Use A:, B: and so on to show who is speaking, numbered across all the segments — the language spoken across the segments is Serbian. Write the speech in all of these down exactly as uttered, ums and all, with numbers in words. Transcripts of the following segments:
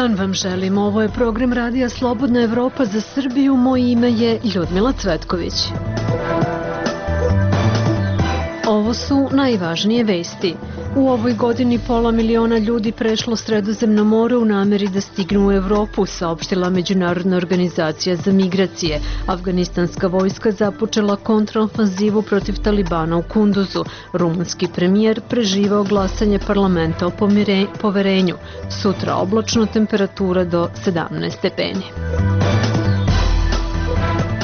A: dan vam želim. Ovo je program Radija Slobodna Evropa za Srbiju. Moje ime je Ljudmila Cvetković. Ovo su najvažnije vesti. U ovoj godini pola miliona ljudi prešlo Sredozemno more u nameri da stignu u Evropu, saopštila Međunarodna organizacija za migracije. Afganistanska vojska započela kontraofanzivu protiv Talibana u Kunduzu. Rumunski premijer preživao glasanje parlamenta o poverenju. Sutra oblačno, temperatura do sedamnaest stepeni.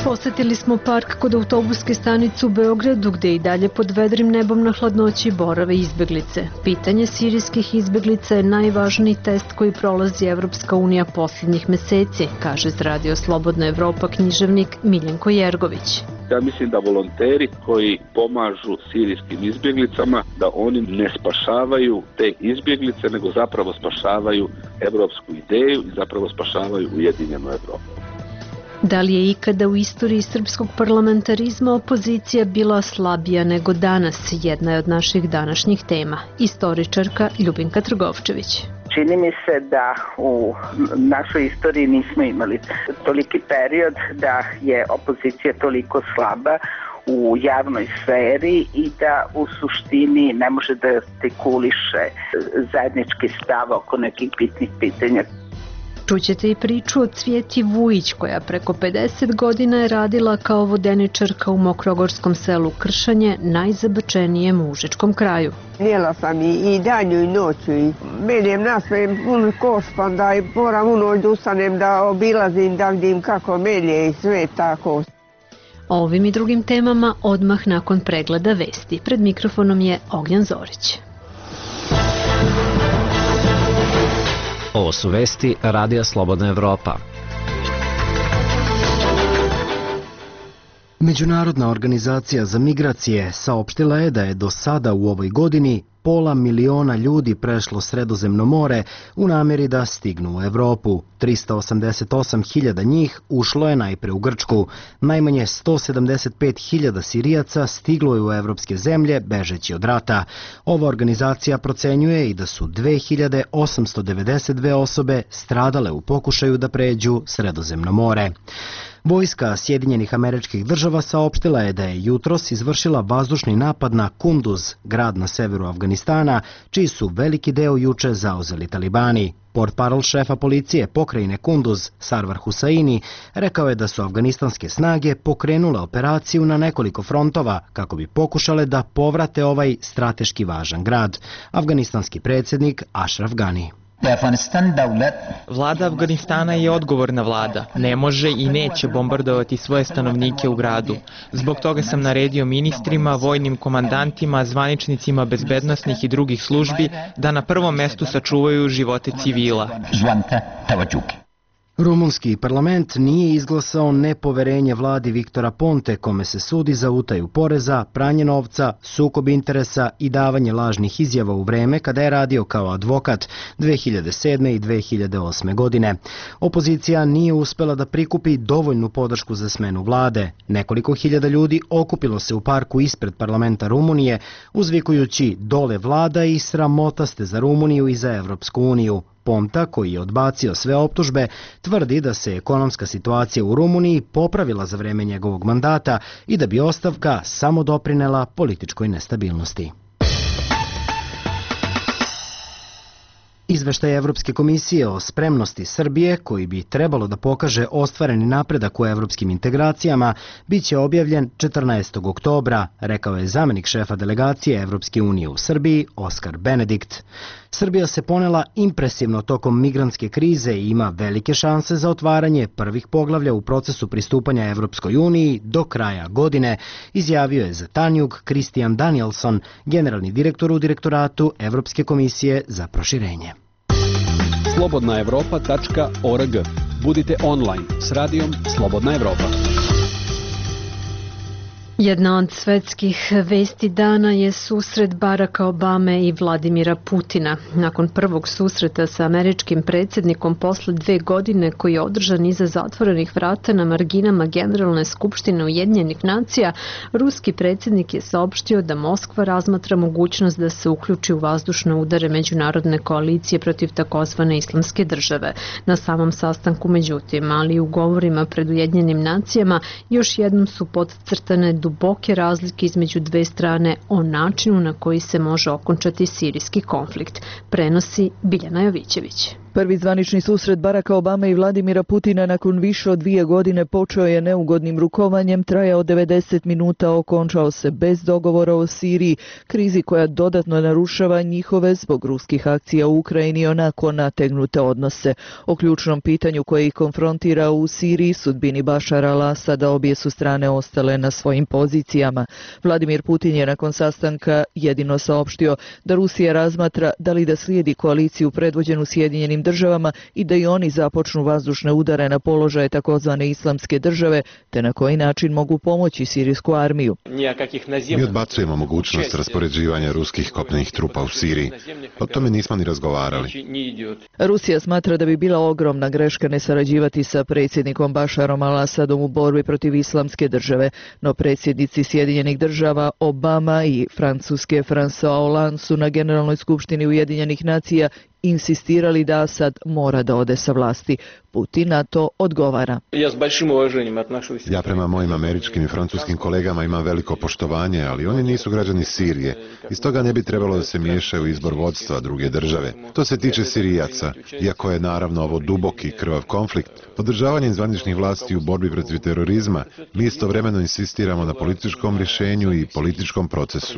A: Posetili smo park kod autobuske stanice u Beogradu, gde i dalje pod vedrim nebom na hladnoći borave izbeglice. Pitanje sirijskih izbeglica je najvažniji test koji prolazi Evropska unija posljednjih meseci, kaže za Radio Slobodna Evropa književnik Miljenko Jergović.
B: Ja mislim da volonteri koji pomažu sirijskim izbjeglicama, da oni ne spašavaju te izbjeglice, nego zapravo spašavaju evropsku ideju i zapravo spašavaju ujedinjenu Evropu.
A: Da li je ikada u istoriji srpskog parlamentarizma opozicija bila slabija nego danas? Jedna je od naših današnjih tema. Istoričarka Ljubinka Trgovčević.
C: Čini mi se da u našoj istoriji nismo imali toliki period da je opozicija toliko slaba u javnoj sferi i da u suštini ne može da artikuliše zajednički stav oko nekih bitnih pitanja.
A: Čućete i priču o Cvjeti Vujić, koja preko pedeset godina je radila kao vodeničarka u mokrogorskom selu Kršanje, najzabačenijem u Užičkom kraju.
D: Jela sam i danju i noću i menjem nasve pun koš, pa da moram u noć da ustanem, da obilazim, da vidim kako melje i sve tako.
A: O ovim i drugim temama odmah nakon pregleda vesti. Pred mikrofonom je Ognjan Zorić.
E: Ovo su vesti Radija Slobodna Evropa. Međunarodna organizacija za migracije saopštila je da je do sada u ovoj godini pola miliona ljudi prešlo Sredozemno more u namjeri da stignu u Evropu. trista osamdeset osam hiljada njih ušlo je najpre u Grčku. Najmanje sto sedamdeset pet hiljada Sirijaca stiglo je u evropske zemlje bežeći od rata. Ova organizacija procenjuje i da su dve hiljade osamsto devedeset dve osobe stradale u pokušaju da pređu Sredozemno more. Vojska Sjedinjenih Američkih Država saopštila je da je jutros izvršila vazdušni napad na Kunduz, grad na severu Afganistana, čiji su veliki deo juče zauzeli talibani. Portparol šefa policije pokrajine Kunduz, Sarvar Husaini, rekao je da su afganistanske snage pokrenule operaciju na nekoliko frontova kako bi pokušale da povrate ovaj strateški važan grad. Afganistanski predsjednik Ashraf Ghani.
F: Vlada Afganistana je odgovorna vlada. Ne može i neće bombardovati svoje stanovnike u gradu. Zbog toga sam naredio ministrima, vojnim komandantima, zvaničnicima bezbednosnih i drugih službi da na prvom mestu sačuvaju živote civila.
E: Rumunski parlament nije izglasao nepoverenje vladi Viktora Ponte, kome se sudi za utaju poreza, pranje novca, sukob interesa i davanje lažnih izjava u vreme kada je radio kao advokat dve hiljade sedme. i dve hiljade osme. godine. Opozicija nije uspela da prikupi dovoljnu podršku za smenu vlade. Nekoliko hiljada ljudi okupilo se u parku ispred parlamenta Rumunije, uzvikujući dole vlada i sramota ste za Rumuniju i za Evropsku uniju. Ponta, koji je odbacio sve optužbe, tvrdi da se ekonomska situacija u Rumuniji popravila za vreme njegovog mandata i da bi ostavka samo doprinela političkoj nestabilnosti. Izveštaj Evropske komisije o spremnosti Srbije, koji bi trebalo da pokaže ostvareni napredak u evropskim integracijama, bit će objavljen četrnaestog oktobra, rekao je zamenik šefa delegacije Evropske unije u Srbiji, Oskar Benedikt. Srbija se ponela impresivno tokom migrantske krize i ima velike šanse za otvaranje prvih poglavlja u procesu pristupanja Evropskoj uniji do kraja godine, izjavio je za Tanjug Christian Danielson, generalni direktor u direktoratu Evropske komisije za proširenje.
G: slobodna evropa tačka org. Budite online s radijom Slobodna Evropa.
A: Jedna od svetskih vesti dana je susret Baracka Obame i Vladimira Putina. Nakon prvog susreta sa američkim predsjednikom posle dve godine koji je održan iza zatvorenih vrata na marginama Generalne skupštine Ujedinjenih nacija, ruski predsjednik je saopštio da Moskva razmatra mogućnost da se uključi u vazdušne udare međunarodne koalicije protiv takozvane islamske države. Na samom sastanku, međutim, ali i u govorima pred Ujedinjenim nacijama, još jednom su podcrtane duboke razlike između dve strane o načinu na koji se može okončati sirijski konflikt, prenosi Biljana Jovićević.
H: Prvi zvanični susret Baracka Obame i Vladimira Putina nakon više od dvije godine počeo je neugodnim rukovanjem, trajao devedeset minuta, okončao se bez dogovora o Siriji, krizi koja dodatno narušava njihove zbog ruskih akcija u Ukrajini onako nategnute odnose. O ključnom pitanju koje ih konfrontira u Siriji, sudbini Bašara al-Asada, obje su strane ostale na svojim pozicijama. Vladimir Putin je nakon sastanka jedino saopštio da Rusija razmatra da li da slijedi koaliciju predvođenu Sjedinjenim državama i da i oni započnu vazdušne udare na položaje takozvane islamske države, te na koji način mogu pomoći sirijsku armiju.
I: Mi odbacujemo mogućnost raspoređivanja ruskih kopnenih trupa u Siriji. O tome nismo ni razgovarali.
H: Rusija smatra da bi bila ogromna greška ne sarađivati sa predsjednikom Bašarom al-Asadom u borbi protiv islamske države, no predsjednici Sjedinjenih država Obama i Francuske François Hollande su na Generalnoj skupštini Ujedinjenih nacija insistirali da Asad mora da ode sa vlasti. Putin na to odgovara.
I: Ja prema mojim američkim i francuskim kolegama imam veliko poštovanje, ali oni nisu građani Sirije. Iz toga ne bi trebalo da se miješaju u izbor vodstva druge države. To se tiče Sirijaca, iako je naravno ovo duboki krvav konflikt. Podržavanjem zvaničnih vlasti u borbi protiv terorizma, mi istovremeno insistiramo na političkom rješenju i političkom procesu.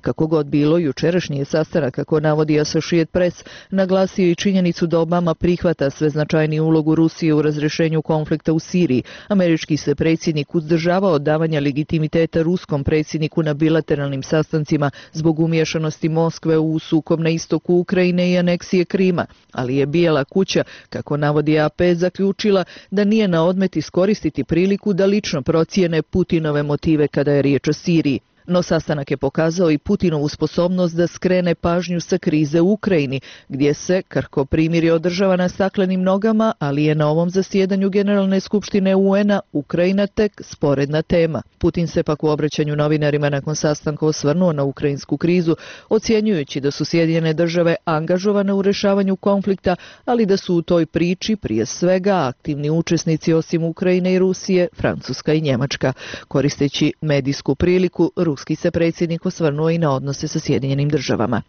H: Kako god bilo, jučerašnji je sastanak, kako navodi Associated Press, naglasio i činjenicu da Obama prihvata sve značajniju ulogu Rusije u razrešenju konflikta u Siriji. Američki se predsjednik uzdržavao od davanja legitimiteta ruskom predsjedniku na bilateralnim sastancima zbog umiješanosti Moskve u sukob na istoku Ukrajine i aneksije Krima, ali je Bijela kuća, kako navodi A P, zaključila da nije na odmet iskoristiti priliku da lično procijene Putinove motive kada je riječ o Siriji. No sastanak je pokazao i Putinovu sposobnost da skrene pažnju sa krize u Ukrajini, gdje se krhko primirje održava na staklenim nogama, ali je na ovom zasjedanju Generalne skupštine U N-a Ukrajina tek sporedna tema. Putin se pak u obraćanju novinarima nakon sastanka osvrnuo na ukrajinsku krizu, ocjenjujući da su Sjedinjene države angažovane u rješavanju konflikta, ali da su u toj priči prije svega aktivni učesnici osim Ukrajine i Rusije, Francuska i Njemačka. Koristeći medijsku priliku, ruski se predsjednik osvrnuo i na odnose sa Sjedinjenim državama.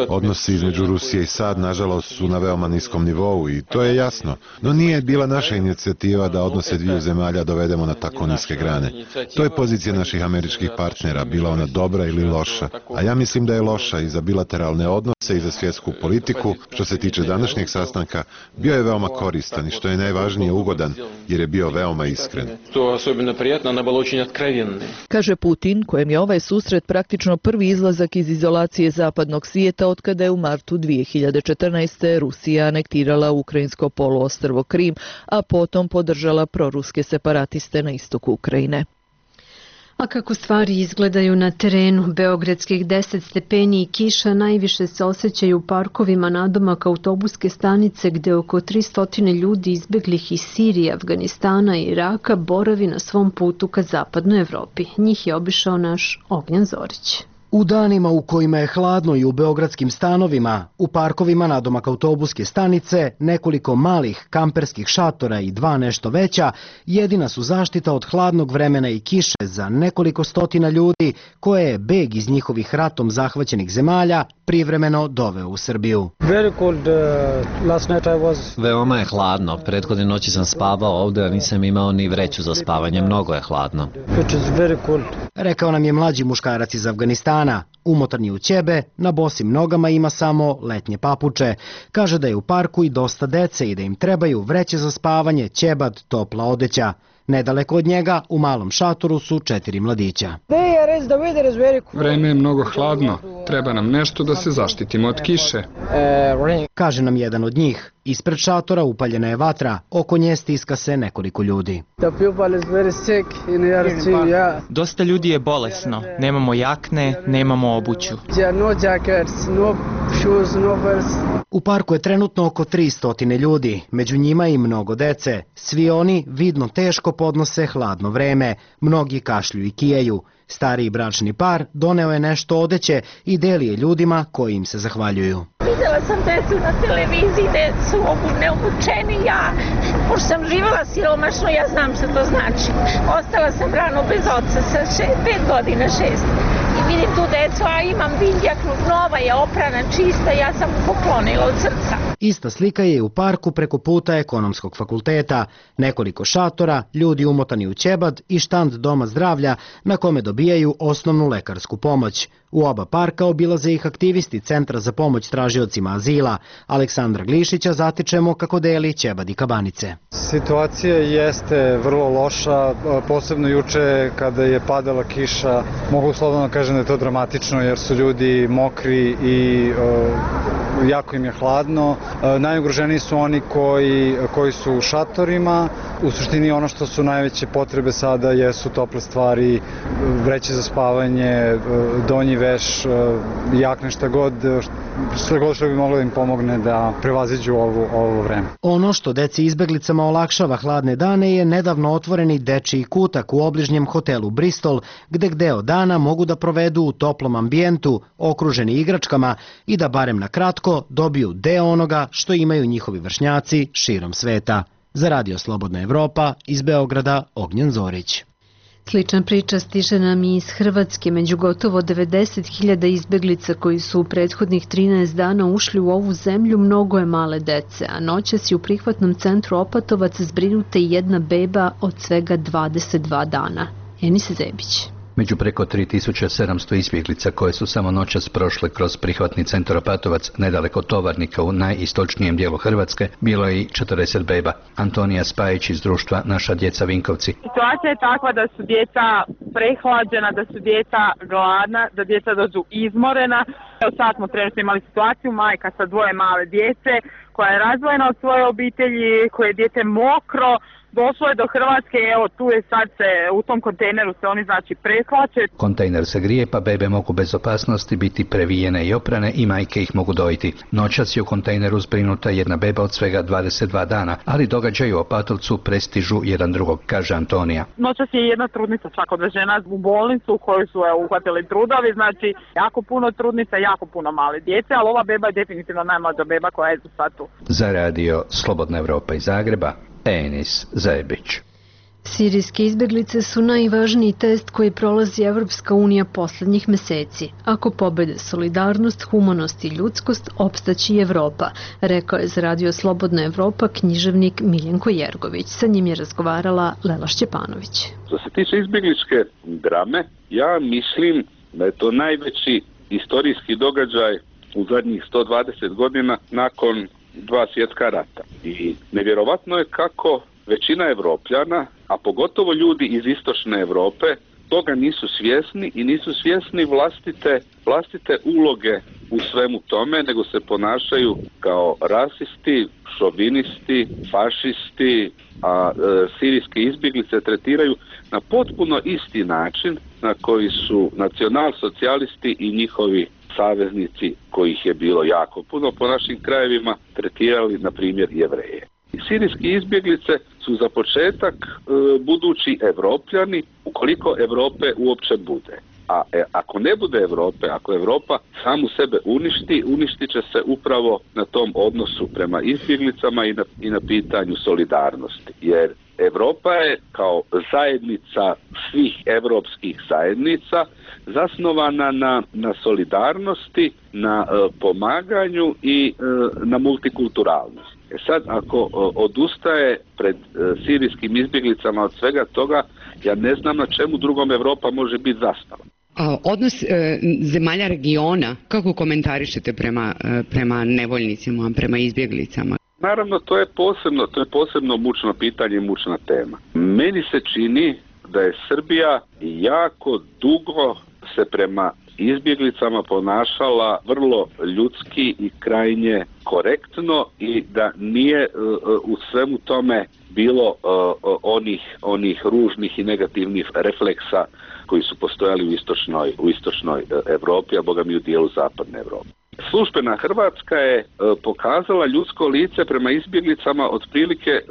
I: Odnosi između Rusije i SAD, nažalost, su na veoma niskom nivou i to je jasno. No nije bila naša inicijativa da odnose dviju zemalja dovedemo na tako niske grane. To je pozicija naših američkih partnera, bila ona dobra ili loša. A ja mislim da je loša i za bilateralne odnose i za svjetsku politiku. Što se tiče današnjeg sastanka, bio je veoma koristan i što je najvažnije ugodan, jer je bio veoma iskren.
H: Kaže Putin, kojem je ovaj susret praktično prvi izlazak iz izolacije zapadnog svijeta otkada je u martu dvije hiljade četrnaeste. Rusija anektirala ukrajinsko poluostrvo Krim, a potom podržala proruske separatiste na istoku Ukrajine.
A: A kako stvari izgledaju na terenu, beogradskih deset stepeni i kiša najviše se osjećaju u parkovima nadomak autobuske stanice gdje oko tristo ljudi izbeglih iz Sirije, Afganistana i Iraka boravi na svom putu ka zapadnoj Evropi. Njih je obišao naš Ognjan Zorić.
E: U danima u kojima je hladno i u beogradskim stanovima, u parkovima nadomak autobuske stanice, nekoliko malih kamperskih šatora i dva nešto veća, jedina su zaštita od hladnog vremena i kiše za nekoliko stotina ljudi koje je beg iz njihovih ratom zahvaćenih zemalja privremeno doveo u Srbiju.
J: Veoma je hladno. Prethodne noći sam spavao ovdje, a nisam imao ni vreću za spavanje. Mnogo je hladno.
E: Rekao nam je mlađi muškarac iz Afganistana. Umotan je u ćebe, na bosim nogama ima samo letnje papuče. Kaže da je u parku i dosta dece i da im trebaju vreće za spavanje, ćebad, topla odeća. Nedaleko od njega, u malom šatoru, su četiri mladića.
K: Vreme je mnogo hladno. Treba nam nešto da se zaštitimo od kiše.
E: Kaže nam jedan od njih. Ispred šatora upaljena je vatra, oko nje stiska se nekoliko ljudi.
F: Dosta ljudi je bolesno, nemamo jakne, nemamo obuću.
E: U parku je trenutno oko tristo ljudi, među njima i mnogo dece. Svi oni vidno teško podnose hladno vreme, mnogi kašlju i kijaju. Stariji bračni par doneo je nešto odeće i deli je ljudima koji im se zahvaljuju.
L: Videla sam decu na televiziji, decu neobučeni, ja, pošto sam živala siromašno, ja znam što to znači. Ostala sam rano bez oca sa šest, pet godina, šest. I vidim tu decu, a imam vindjaknu, nova je, oprana, čista, ja sam mu poklonila od srca.
E: Ista slika je u parku preko puta Ekonomskog fakulteta. Nekoliko šatora, ljudi umotani u ćebad i štand Doma zdravlja na kome dobijaju osnovnu lekarsku pomoć. U oba parka obilaze ih aktivisti Centra za pomoć tražiocima azila. Aleksandra Glišića zatičemo kako deli ćebad i kabanice.
M: Situacija jeste vrlo loša, posebno juče kada je padala kiša. Mogu slobodno kažem da je to dramatično jer su ljudi mokri i uh, jako im je hladno. Uh, najugroženiji su oni koji, koji su u šatorima. U suštini ono što su najveće potrebe sada jesu tople stvari, vreće za spavanje, uh, donji veš, jakne, šta god, šta god što bi moglo da im pomogne da prevaziđu ovo, ovo vreme.
E: Ono što deci izbeglicama olakšava hladne dane je nedavno otvoreni dečiji kutak u obližnjem hotelu Bristol, gde deo dana mogu da provedu u toplom ambijentu, okruženi igračkama i da barem na kratko dobiju deo onoga što imaju njihovi vršnjaci širom sveta. Za Radio Slobodna Evropa iz Beograda, Ognjen Zorić.
A: Slična priča stiže nam i iz Hrvatske. Među gotovo devedeset hiljada izbeglica koji su u prethodnih trinaest dana ušli u ovu zemlju, mnogo je male dece, a noćas je u prihvatnom centru Opatovac zbrinuta i jedna beba od svega dvadeset dva dana. Enis Zebić.
N: Među preko tri tisuće sedamsto izbjeglica koje su samo noćas prošle kroz prihvatni centar Opatovac nedaleko Tovarnika u najistočnijem dijelu Hrvatske, bilo je i četrdeset beba. Antonija Spajić iz društva Naša djeca Vinkovci.
O: Situacija je takva da su djeca prehlađena, da su djeca gladna, da djeca dođu izmorena. Evo sad smo trenutno imali situaciju, majka sa dvoje male djece koja je razdvojena od svoje obitelji, koje je dijete mokro. Došlo je do Hrvatske, evo tu je sad se, u tom kontejneru se oni znači prehlače.
N: Kontejner se grije pa bebe mogu bez opasnosti biti previjene i oprane i majke ih mogu dojiti. Noćas je u kontejneru zbrinuta jedna beba od svega dvadeset dva dana, ali događaji u Opatovcu prestižu jedan drugog, kaže Antonija.
O: Noćas je jedna trudnica čak odvežena u bolnicu u kojoj su je, uhvatili trudovi, znači jako puno trudnica, jako puno male djece, ali ova beba je definitivno najmlađa beba koja je sad tu.
N: Za Radio Slobodna Evropa iz Zagreba, Enis Zebić.
A: Sirijske izbeglice su najvažniji test koji prolazi Evropska unija poslednjih meseci. Ako pobede solidarnost, humanost i ljudskost, opstaći Evropa, rekao je za Radio Slobodna Evropa književnik Miljenko Jergović. Sa njim je razgovarala Lela Šćepanović.
B: Što se tiče izbegličke drame, ja mislim da je to najveći istorijski događaj u zadnjih sto dvadeset godina nakon dva svjetska rata. I nevjerovatno je kako većina Evropljana, a pogotovo ljudi iz istočne Evrope, toga nisu svjesni i nisu svjesni vlastite, vlastite uloge u svemu tome, nego se ponašaju kao rasisti, šovinisti, fašisti, a e, sirijske izbjeglice tretiraju na potpuno isti način na koji su nacionalsocijalisti i njihovi saveznici, kojih je bilo jako puno po našim krajevima, tretirali, na primjer, Jevreje. Sirijski izbjeglice su za početak e, budući Evropljani, ukoliko Evrope uopće bude. A e, ako ne bude Evrope, ako Evropa samu sebe uništi, uništit će se upravo na tom odnosu prema izbjeglicama i na, i na pitanju solidarnosti. Jer Evropa je kao zajednica svih evropskih zajednica zasnovana na, na solidarnosti, na e, pomaganju i e, na multikulturalnosti. E sad, ako e, odustaje pred e, sirijskim izbjeglicama od svega toga, ja ne znam na čemu drugom Evropa može biti zastava.
P: A odnos e, zemalja regiona, kako komentarišete prema, e, prema nevoljnicima, prema izbjeglicama?
B: Naravno, to je posebno, to je posebno mučno pitanje i mučna tema. Meni se čini da je Srbija jako dugo se prema izbjeglicama ponašala vrlo ljudski i krajnje korektno i da nije u svemu tome bilo onih, onih ružnih i negativnih refleksa koji su postojali u istočnoj, u istočnoj Evropi, a boga mi u dijelu zapadne Evrope. Službena Hrvatska je e, pokazala ljudsko lice prema izbjeglicama otprilike e,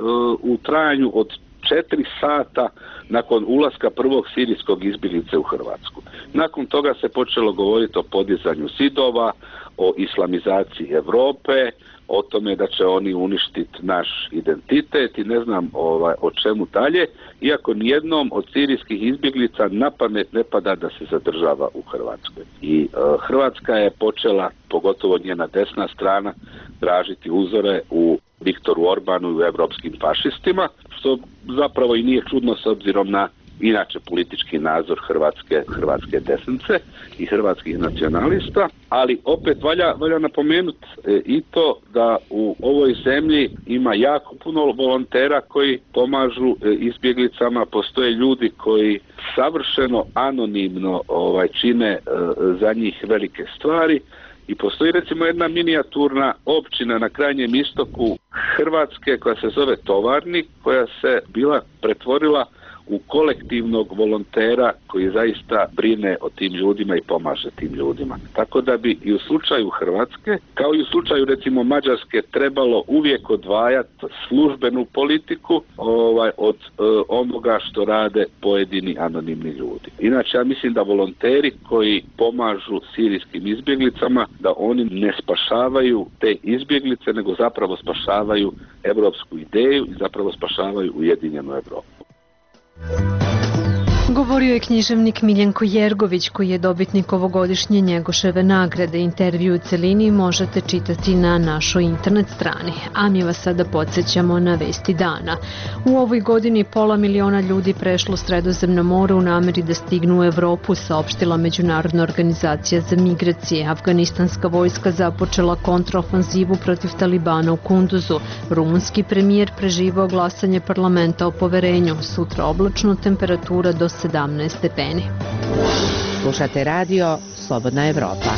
B: u trajanju od četiri sata nakon ulaska prvog sirijskog izbjeglice u Hrvatsku. Nakon toga se počelo govoriti o podizanju zidova, o islamizaciji Europe, o tome da će oni uništiti naš identitet i ne znam ovaj, o čemu dalje, iako nijednom od sirijskih izbjeglica na pamet ne pada da se zadržava u Hrvatskoj. I e, Hrvatska je počela, pogotovo njena desna strana, tražiti uzore u Viktoru Orbanu i u evropskim fašistima, što zapravo i nije čudno s obzirom na inače politički nadzor hrvatske, hrvatske desnice i hrvatskih nacionalista, ali opet valja, valja napomenuti e, i to da u ovoj zemlji ima jako puno volontera koji pomažu e, izbjeglicama, postoje ljudi koji savršeno anonimno ovaj, čine e, za njih velike stvari. I postoji recimo jedna minijaturna općina na krajnjem istoku Hrvatske koja se zove Tovarnik, koja se bila pretvorila u kolektivnog volontera koji zaista brine o tim ljudima i pomaže tim ljudima. Tako da bi i u slučaju Hrvatske, kao i u slučaju recimo Mađarske, trebalo uvijek odvajati službenu politiku ovaj, od e, onoga što rade pojedini anonimni ljudi. Inače, ja mislim da volonteri koji pomažu sirijskim izbjeglicama, da oni ne spašavaju te izbjeglice, nego zapravo spašavaju evropsku ideju i zapravo spašavaju ujedinjenu Evropu.
A: Govorio je književnik Miljenko Jergović, koji je dobitnik ovogodišnje Njegoševe nagrade. Intervju u celini možete čitati na našoj internet strani. A mi vas sada podsjećamo na vesti dana. U ovoj godini pola miliona ljudi prešlo Sredozemno more u nameri da stignu u Evropu, saopštila Međunarodna organizacija za migracije. Afganistanska vojska započela kontraofanzivu protiv Talibana u Kunduzu. Rumunski premijer preživao glasanje parlamenta o poverenju. Sutra oblačno, temperatura do sedamnaest stepeni.
Q: Slušate radio Slobodna Evropa.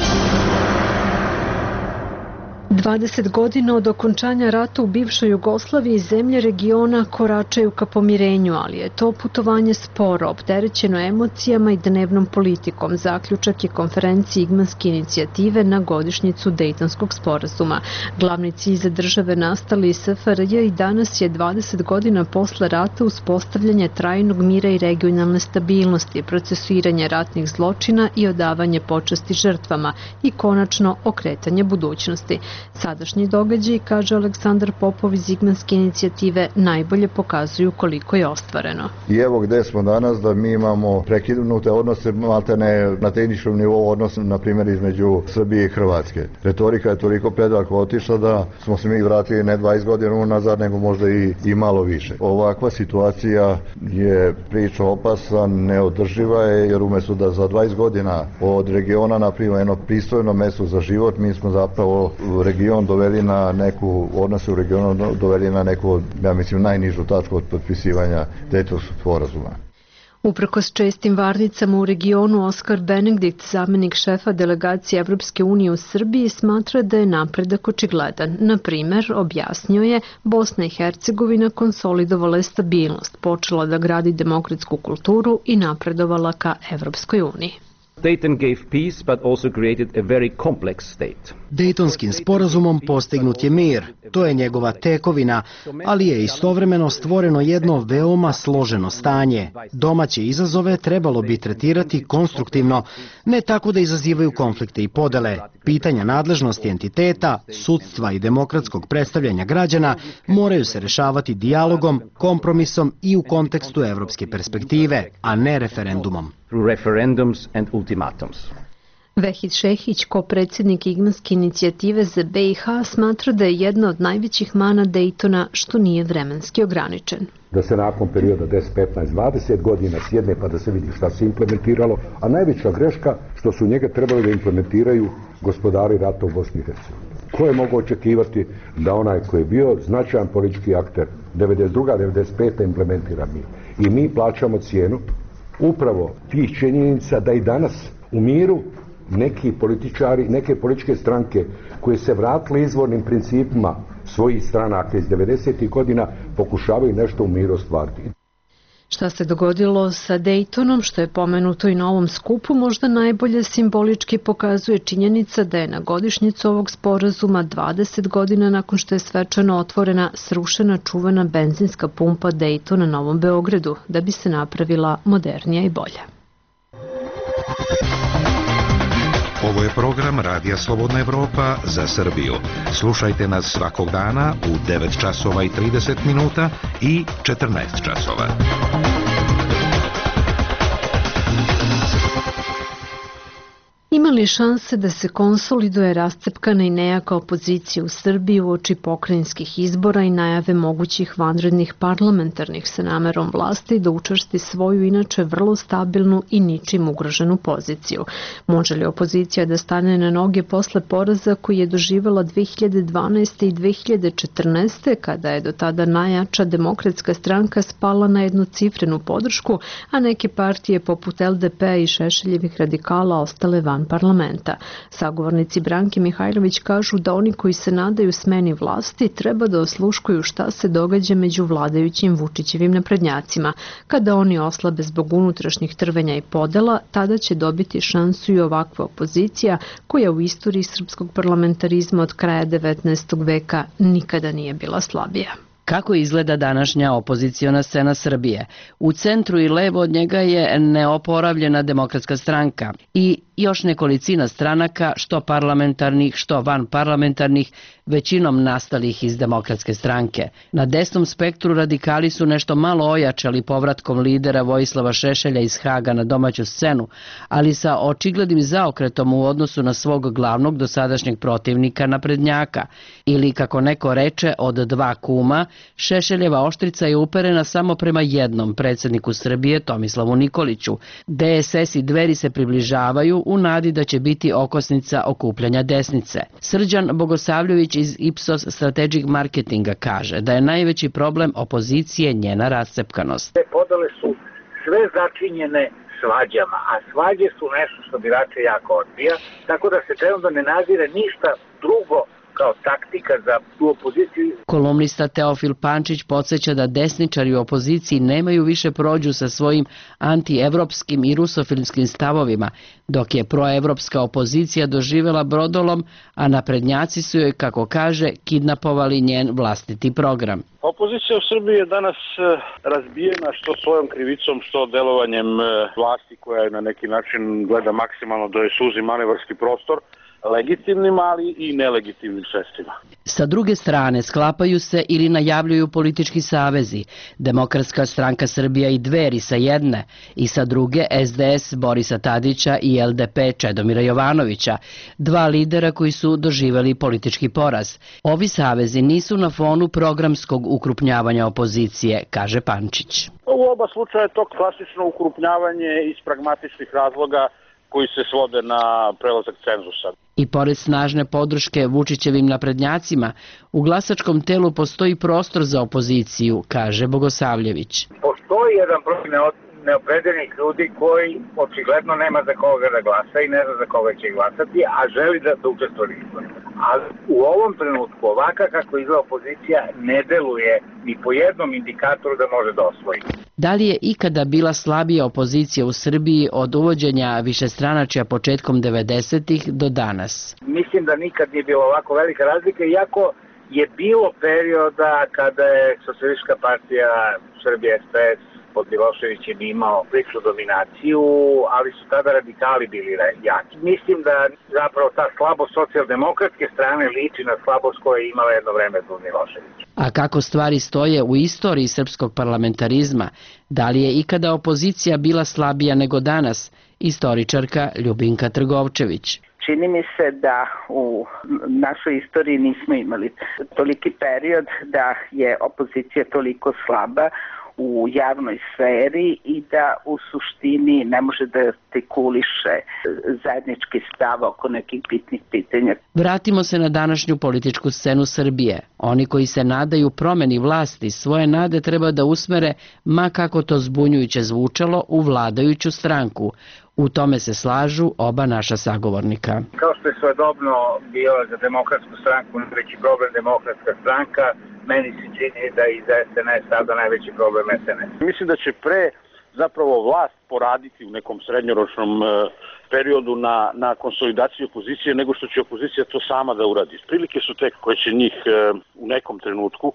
A: dvadeset godina od okončanja rata u bivšoj Jugoslaviji zemlje regiona koračaju ka pomirenju, ali je to putovanje sporo, opterećeno emocijama i dnevnom politikom. Zaključak je konferencije Igmanske inicijative na godišnjicu Dejtonskog sporazuma. Glavni cilj za države nastali iz S F R J i danas je dvadeset godina posle rata uspostavljanje trajnog mira i regionalne stabilnosti, procesuiranje ratnih zločina i odavanje počasti žrtvama i konačno okretanje budućnosti. Sadašnji događaji, kaže Aleksandar Popov iz Igmanske inicijative, najbolje pokazuju koliko je ostvareno.
R: I evo gde smo danas, da mi imamo prekinute odnose, maltene na tehničkom nivou odnos, na primjer, između Srbije i Hrvatske. Retorika je toliko predaleko otišla da smo se mi vratili ne dvadeset godina unazad, nego možda i, i malo više. Ovakva situacija je priča opasna, neodrživa je, jer umjesto da za dvadeset godina od regiona napravimo jedno pristojno mesto za život, mi smo zapravo region doveli na neku, odnose u regionu doveli na neku, ja mislim, najnižu tačku od potpisivanja Dejtonskog sporazuma.
A: Uprkos čestim varnicama u regionu, Oskar Benedikt, zamenik šefa delegacije Evropske unije u Srbiji, smatra da je napredak očigledan. Na primer, objasnio je, Bosna i Hercegovina konsolidovala je stabilnost, počela da gradi demokratsku kulturu i napredovala ka Evropskoj uniji.
S: Dayton gave peace, but also created a very complex state.
E: Dejtonskim sporazumom postignut je mir, to je njegova tekovina, ali je istovremeno stvoreno jedno veoma složeno stanje. Domaće izazove trebalo bi tretirati konstruktivno, ne tako da izazivaju konflikte i podele. Pitanja nadležnosti entiteta, sudstva i demokratskog predstavljanja građana moraju se rešavati dijalogom, kompromisom i u kontekstu evropske perspektive, a ne referendumom.
S: Through referendums and ultimatums.
A: Vehid Šehić, ko predsjednik Igmanske inicijative za B i H, smatra da je jedna od najvećih mana Dejtona što nije vremenski ograničen.
T: Da se nakon perioda deset, petnaest, dvadeset godina sjedne pa da se vidi šta se implementiralo, a najveća greška što su njega trebali da implementiraju gospodari rata u Bosni i Hercegovini. Ko je mogao očekivati da onaj koji je bio značajan politički akter devedeset druga devedeset peta implementira mi. I mi plaćamo cijenu upravo tih činjenica da i danas u miru neki političari, neke političke stranke koje se vratile izvornim principima svojih stranaka iz devedesetih godina pokušavaju nešto u miru ostvariti.
A: Šta se dogodilo sa Daytonom, što je pomenuto i na ovom skupu, možda najbolje simbolički pokazuje činjenica da je na godišnjicu ovog sporazuma dvadeset godina nakon što je svečano otvorena srušena čuvena benzinska pumpa Dayton na Novom Beogradu, da bi se napravila modernija i bolja.
U: Ovo je program Radija Slobodna Evropa za Srbiju. Slušajte nas svakog dana u devet časova i trideset minuta i četrnaest časova.
A: Ima li šanse da se konsoliduje rascepkana i nejaka opozicija u Srbiji uoči pokrajinskih izbora i najave mogućih vanrednih parlamentarnih sa namerom vlasti da učvrsti svoju inače vrlo stabilnu i ničim ugroženu poziciju? Može li opozicija da stane na noge posle poraza koji je doživela dve hiljade dvanaeste. i dve hiljade četrnaeste. kada je do tada najjača demokratska stranka spala na jednocifrenu podršku, a neke partije poput L D P i Šešeljevih radikala ostale van parlamenta. Sagovornici Branke Mihajlović kažu da oni koji se nadaju smeni vlasti treba da osluškuju šta se događa među vladajućim Vučićevim naprednjacima. Kada oni oslabe zbog unutrašnjih trvenja i podela, tada će dobiti šansu i ovakva opozicija koja u istoriji srpskog parlamentarizma od kraja devetnaestog veka nikada nije bila slabija.
V: Kako izgleda današnja opoziciona scena Srbije? U centru i levo od njega je neoporavljena Demokratska stranka i još nekolicina stranaka, što parlamentarnih, što vanparlamentarnih, većinom nastalih iz Demokratske stranke. Na desnom spektru radikali su nešto malo ojačali povratkom lidera Vojislava Šešelja iz Haga na domaću scenu, ali sa očiglednim zaokretom u odnosu na svog glavnog dosadašnjeg protivnika naprednjaka. Ili, kako neko reče, od dva kuma, Šešeljeva oštrica je uperena samo prema jednom predsjedniku Srbije, Tomislavu Nikoliću. D S S i Dveri se približavaju u nadi da će biti okosnica okupljanja desnice. Srđan Bogosavljević iz Ipsos Strategic Marketinga kaže da je najveći problem opozicije njena rascepkanost.
W: Te podele su sve začinjene svađama, a svađe su nešto što birače jako odbija, tako da se trenutno ne nazire ništa drugo kao taktika za tu opoziciju.
V: Kolumnista Teofil Pančić podsjeća da desničari u opoziciji nemaju više prođu sa svojim antievropskim i rusofilskim stavovima, dok je proevropska opozicija doživjela brodolom, a naprednjaci su joj, kako kaže, kidnapovali njen vlastiti program.
X: Opozicija u Srbiji je danas razbijena što svojom krivicom, što delovanjem vlasti koja je na neki način gleda maksimalno da joj suzi manevarski prostor, legitimnim, ali i nelegitimnim sredstvima.
V: Sa druge strane, sklapaju se ili najavljuju politički savezi, Demokratska stranka Srbija i Dveri sa jedne, i sa druge S D S Borisa Tadića i L D P Čedomira Jovanovića, dva lidera koji su doživjeli politički poraz. Ovi savezi nisu na fonu programskog ukrupnjavanja opozicije, kaže Pančić.
X: U oba slučaja je to klasično ukrupnjavanje iz pragmatičnih razloga koji se svode na prelazak cenzusa.
V: I pored snažne podrške Vučićevim naprednjacima, u glasačkom telu postoji prostor za opoziciju, kaže Bogosavljević.
W: Postoji jedan broj neopredeljenih ljudi koji očigledno nema za koga da glasa i ne zna za koga će glasati, a želi da, da učestvuje u izborima. Ali u ovom trenutku, ovaka kako izgleda opozicija, ne deluje ni po jednom indikatoru da može da osvoji.
V: Da li je ikada bila slabija opozicija u Srbiji od uvođenja višestranačja početkom devedesetih do danas?
W: Mislim da nikad nije bilo ovako velika razlika, iako je bilo perioda kada je Socijalistička partija Srbije S P S pod Miloševićem imao priličnu dominaciju, ali su tada radikali bili jaki. Mislim da zapravo ta slabost socijaldemokratske strane liči na slabost koja je imala jedno vreme zbog Miloševića.
V: A kako stvari stoje u istoriji srpskog parlamentarizma, da li je ikada opozicija bila slabija nego danas? Istoričarka Ljubinka Trgovčević.
C: Čini mi se da u našoj istoriji nismo imali toliki period da je opozicija toliko slaba u javnoj sferi i da u suštini ne može da artikuliše zajednički stav oko nekih bitnih pitanja.
V: Vratimo se na današnju političku scenu Srbije. Oni koji se nadaju promeni vlasti svoje nade treba da usmere, ma kako to zbunjujuće zvučalo, u vladajuću stranku. U tome se slažu oba naša sagovornika.
W: Kao što je svojedobno bio za demokratsku stranku najveći problem demokratska stranka, meni se čini da i za S N S sada najveći problem S N S.
X: Mislim da će pre zapravo vlast poraditi u nekom srednjoročnom e, periodu na, na konsolidaciji opozicije nego što će opozicija to sama da uradi. Prilike su tek koje će njih e, u nekom trenutku,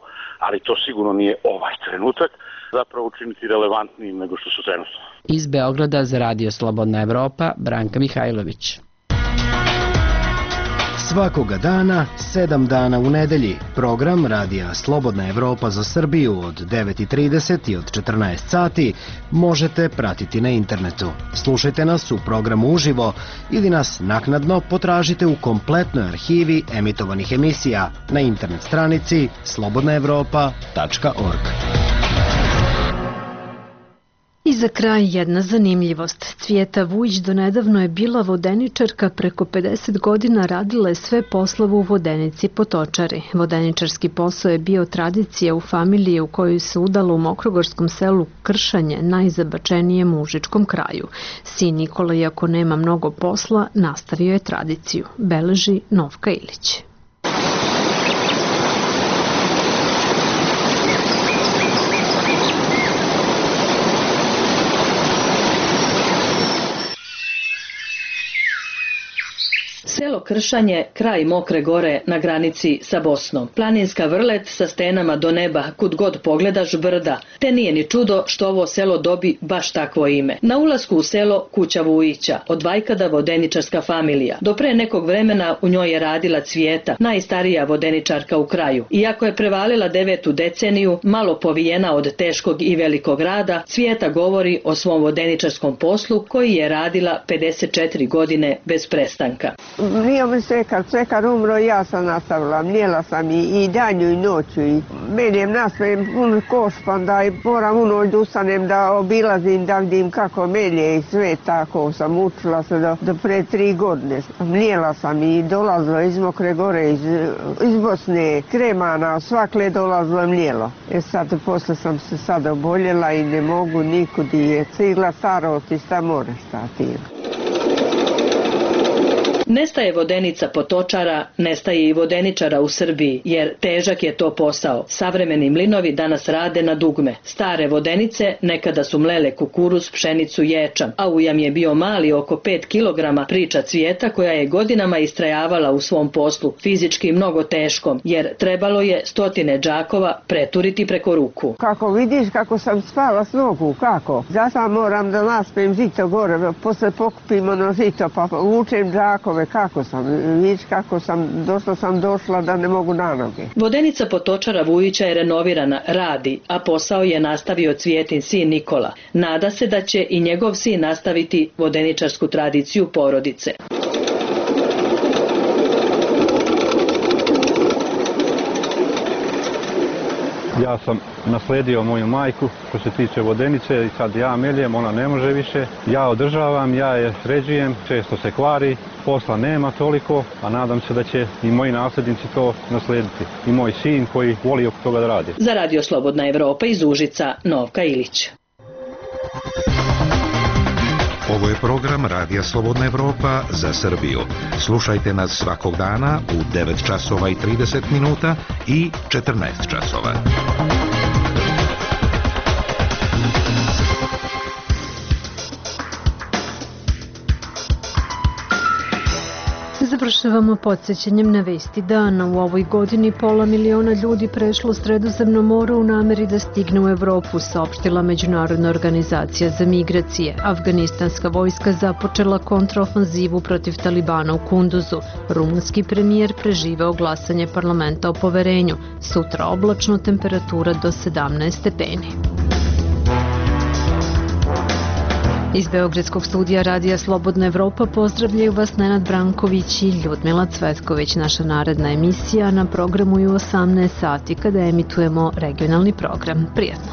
X: ali to sigurno nije ovaj trenutak, zapravo učiniti relevantnijim nego što su trenutno.
V: Iz Beograda za Radio Slobodna Evropa, Branka Mihajlović.
E: Svakoga dana, sedam dana u nedelji, program Radija Slobodna Evropa za Srbiju od devet i trideset i od četrnaest sati možete pratiti na internetu. Slušajte nas u programu uživo ili nas naknadno potražite u kompletnoj arhivi emitovanih emisija na internet stranici slobodna evropa tačka org.
A: I za kraj jedna zanimljivost. Cvijeta Vujić donedavno je bila vodeničarka, preko pedeset godina radila je sve poslove u vodenici Potočari. Vodeničarski posao je bio tradicija u familiji u kojoj se udalo u mokrogorskom selu Kršanje, najzabačenijem mužičkom kraju. Sin Nikola, iako nema mnogo posla, nastavio je tradiciju, beleži Novka Ilić.
D: Selo Kršanje, kraj Mokre gore na granici sa Bosnom. Planinska vrlet sa stenama do neba, kud god pogledaš brda. Te nije ni čudo što ovo selo dobi baš takvo ime. Na ulasku u selo kuća Vujića, od vajkada vodeničarska familija. Do pre nekog vremena u njoj je radila Cvijeta, najstarija vodeničarka u kraju. Iako je prevalila devetu deceniju, malo povijena od teškog i velikog rada, Cvijeta govori o svom vodeničarskom poslu koji je radila pedeset četiri godine bez prestanka.
G: Nije mi svekar, svekar umro i ja sam nastavila, mljela sam i, i danju i noću i menjem nasmejem pun koš, pa onda i moram u noć da ustanem da obilazim, da vidim kako melje i sve tako sam učila se do, do pre tri godine. Mljela sam i dolazila iz Mokre gore, iz, iz Bosne, Kremana, svakle dolazilo mljelo. E sad, posle sam se sad oboljela i ne mogu nikud i je cigla starost i sta more stati.
D: Nestaje vodenica Potočara, nestaje i vodeničara u Srbiji, jer težak je to posao. Savremeni mlinovi danas rade na dugme. Stare vodenice nekada su mlele kukuruz, pšenicu, ječam, a ujam je bio mali, oko pet kilograma, priča Cvijeta koja je godinama istrajavala u svom poslu, fizički mnogo teškom, jer trebalo je stotine džakova preturiti preko ruku.
G: Kako vidiš kako sam spala s nogu, kako? Zato moram da naspem žito gore, posle pokupim ono žito, pa vučem džakove. Kako sam, vidiš kako sam, došla sam došla da ne mogu na noge.
D: Vodenica Potočara Vujića je renovirana, radi, a posao je nastavio Cvijetin sin Nikola. Nada se da će i njegov sin nastaviti vodeničarsku tradiciju porodice.
H: Ja sam nasledio moju majku što se tiče vodenice i sad ja meljem, ona ne može više. Ja održavam, ja je sređujem, često se kvari, posla nema toliko, a nadam se da će i moji nasljednici to naslediti. I moj sin koji voli oko toga da radi.
D: Za Radio Slobodna Evropa iz Užica, Novka Ilić.
U: Ovo je program Radija Slobodna Evropa za Srbiju. Slušajte nas svakog dana u devet časova i trideset minuta i četrnaest časova.
A: Završavamo podsjećanjem na vesti dana. U ovoj godini pola miliona ljudi prešlo Sredozemno more u nameri da stigne u Evropu, saopštila Međunarodna organizacija za migracije. Afganistanska vojska započela kontraofanzivu protiv Talibana u Kunduzu. Rumunski premijer preživeo glasanje parlamenta o poverenju. Sutra oblačno, temperatura do sedamnaest stepeni. Iz Beogradskog studija Radija Slobodna Evropa pozdravljaju vas Nenad Branković i Ljudmila Cvetković. Naša naredna emisija na programu je u osamnaest sati kada emitujemo regionalni program. Prijatno!